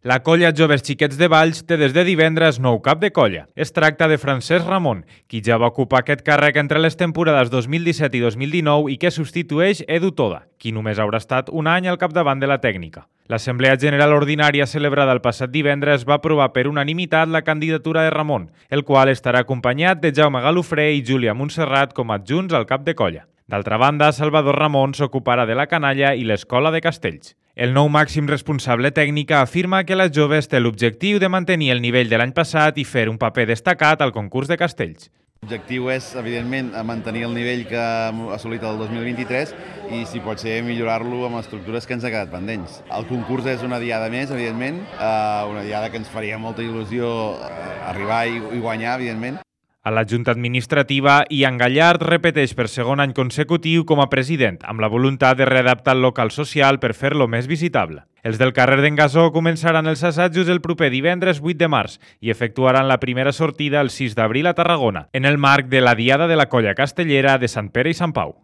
La colla Joves Xiquets de Valls té des de divendres nou cap de colla. Es tracta de Francesc Ramon, qui ja va ocupar aquest càrrec entre les temporades 2017 i 2019 i que substitueix Edu Toda, qui només haurà estat un any al capdavant de la tècnica. L'Assemblea General Ordinària celebrada el passat divendres va aprovar per unanimitat la candidatura de Ramon, el qual estarà acompanyat de Jaume Galofré i Júlia Montserrat com a adjunts al cap de colla. D'altra banda, Salvador Ramon s'ocuparà de la canalla i l'escola de Castells. El nou màxim responsable tècnic afirma que la Joves té l'objectiu de mantenir el nivell de l'any passat i fer un paper destacat al concurs de Castells. L'objectiu és, evidentment, mantenir el nivell que hem assolit el 2023 i, si pot ser, millorar-lo amb estructures que ens ha quedat pendents. El concurs és una diada més, evidentment, una diada que ens faria molta il·lusió arribar i guanyar, evidentment. A la Junta Administrativa, Ian Gallard repeteix per segon any consecutiu com a president, amb la voluntat de readaptar el local social per fer-lo més visitable. Els del carrer d'en Gasó començaran els assajos el proper divendres 8 de març i efectuaran la primera sortida el 6 d'abril a Tarragona, en el marc de la Diada de la Colla Castellera de Sant Pere i Sant Pau.